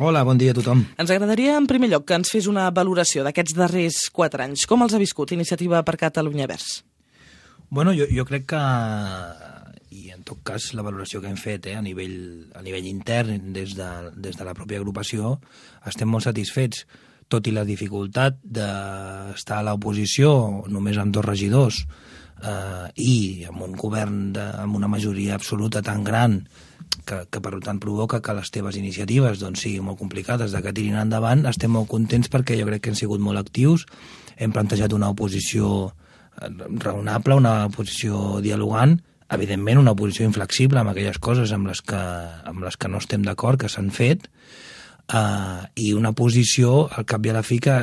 Hola, bon dia a tothom. Ens agradaria, en primer lloc, que ens fes una valoració d'aquests darrers 4 anys. Com els ha viscut Iniciativa per Catalunya Verds? Bueno, jo crec que, i en tot cas la valoració que hem fet a nivell intern des de la pròpia agrupació, estem molt satisfets, tot i la dificultat d'estar a l'oposició només amb 2 regidors i amb un govern amb una majoria absoluta tan gran que per tant provoca que les teves iniciatives doncs, siguin molt complicades de que tirin endavant. Estem molt contents perquè jo crec que hem sigut molt actius, hem plantejat una oposició raonable, una oposició dialogant, evidentment una oposició inflexible amb aquelles coses amb les que no estem d'acord, que s'han fet, i una posició al cap i a la fi que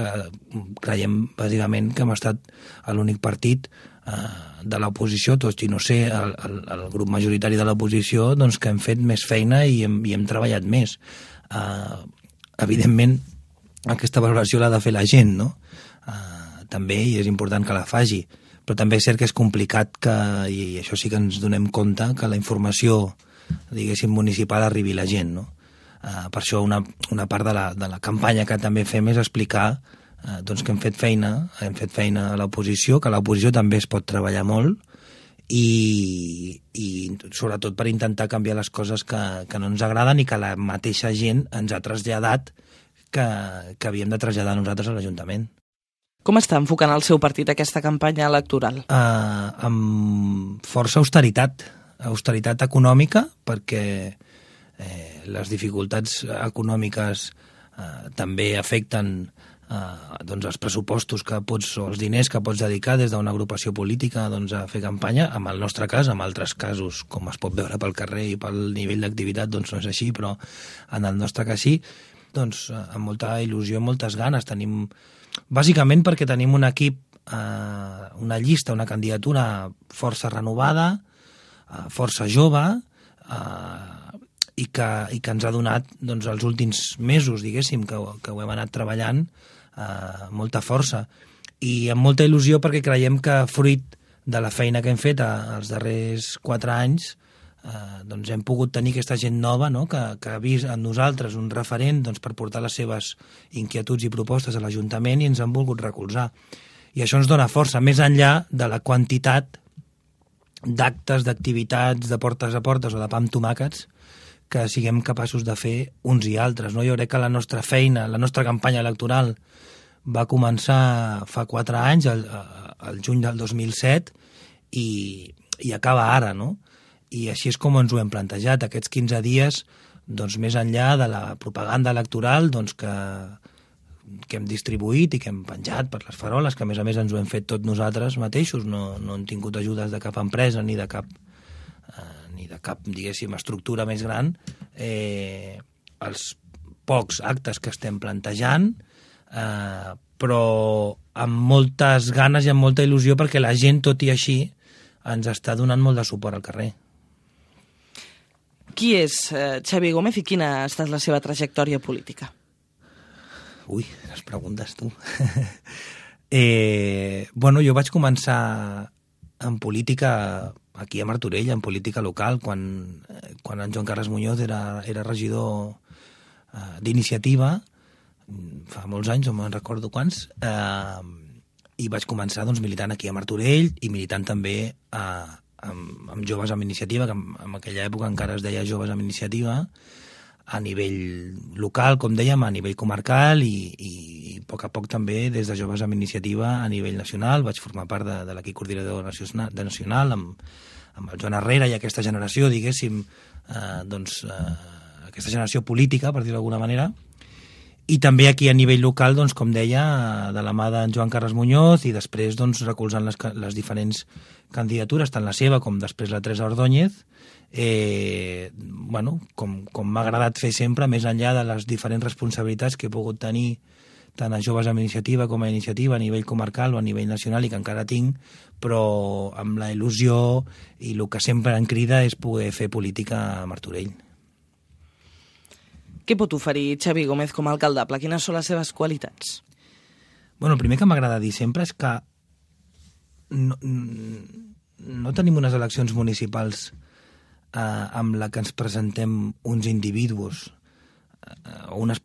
creiem bàsicament que hem estat l'únic partit de l'oposició, tot i no sé, el grup majoritari de l'oposició, doncs que hem fet més feina i hem treballat més. Evidentment, aquesta valoració l'ha de fer la gent, no? També, i és important que la faci, però també és cert que és complicat i això sí que ens donem compte, que la informació, diguéssim, municipal arribi a la gent, no? Per això una part de la campanya que també fem és explicar doncs que hem fet feina a l'oposició, que a l'oposició també es pot treballar molt i sobretot per intentar canviar les coses que no ens agraden i que la mateixa gent ens ha traslladat que havíem de traslladar nosaltres a l'Ajuntament. Com està enfocant el seu partit aquesta campanya electoral? Amb força austeritat econòmica, perquè les dificultats econòmiques també afecten doncs els pressupostos o els diners que pots dedicar des d'una agrupació política doncs, a fer campanya. En el nostre cas, en altres casos, com es pot veure pel carrer i pel nivell d'activitat, doncs no és així, però en el nostre cas sí, doncs amb molta il·lusió i moltes ganes. Bàsicament perquè tenim un equip, una llista, una candidatura força renovada, força jove, i que ens ha donat doncs, els últims mesos, diguéssim, que ho hem anat treballant molta força i amb molta il·lusió, perquè creiem que fruit de la feina que hem fet els darrers 4 anys doncs hem pogut tenir aquesta gent nova, no? que ha vist en nosaltres un referent doncs, per portar les seves inquietuds i propostes a l'Ajuntament i ens han volgut recolzar. I això ens dona força, més enllà de la quantitat d'actes, d'activitats, de portes a portes o de pa amb tomàquets que siguem capaços de fer uns i altres. No? Jo crec que la nostra feina, la nostra campanya electoral va començar fa 4 anys, el juny del 2007, i acaba ara, no? I així és com ens ho hem plantejat. Aquests 15 dies, doncs, més enllà de la propaganda electoral doncs, que hem distribuït i que hem penjat per les faroles, que a més ens ho hem fet tots nosaltres mateixos, no hem tingut ajudes de cap empresa ni de cap diguéssim, estructura més gran, els pocs actes que estem plantejant, però amb moltes ganes i amb molta il·lusió, perquè la gent, tot i així, ens està donant molt de suport al carrer. Qui és Xavi Gómez i quina ha estat la seva trajectòria política? Ui, les preguntes, tu. Bueno, jo vaig començar en política aquí a Martorell, en política local, quan en Joan Carles Muñoz era regidor d'Iniciativa, fa molts anys, no me'n recordo quants, i vaig començar doncs, militant aquí a Martorell i militant també amb Joves amb Iniciativa, que en aquella època encara es deia Joves amb Iniciativa, a nivell local, com dèiem, a nivell comarcal i a poc a poc també des de Joves amb Iniciativa a nivell nacional. Vaig formar part de l'equip coordinador nacional amb el Joan Herrera i aquesta generació, diguéssim, aquesta generació política, per dir-ho d'alguna manera, i també aquí a nivell local, doncs, com deia, de la mà d'en Joan Carles Muñoz i després doncs, recolzant les diferents candidatures, tant la seva com després la Teresa Ordóñez, bueno, com m'ha agradat fer sempre, més enllà de les diferents responsabilitats que he pogut tenir tant a Joves amb Iniciativa com a Iniciativa a nivell comarcal o a nivell nacional i que encara tinc, però amb la il·lusió i el que sempre em crida és poder fer política a Martorell. Què pot oferir Xavi Gómez com a alcaldable? Quines són les seves qualitats? Bueno, el primer que m'agrada dir sempre és que no tenim unes eleccions municipals amb la que ens presentem uns individus o unes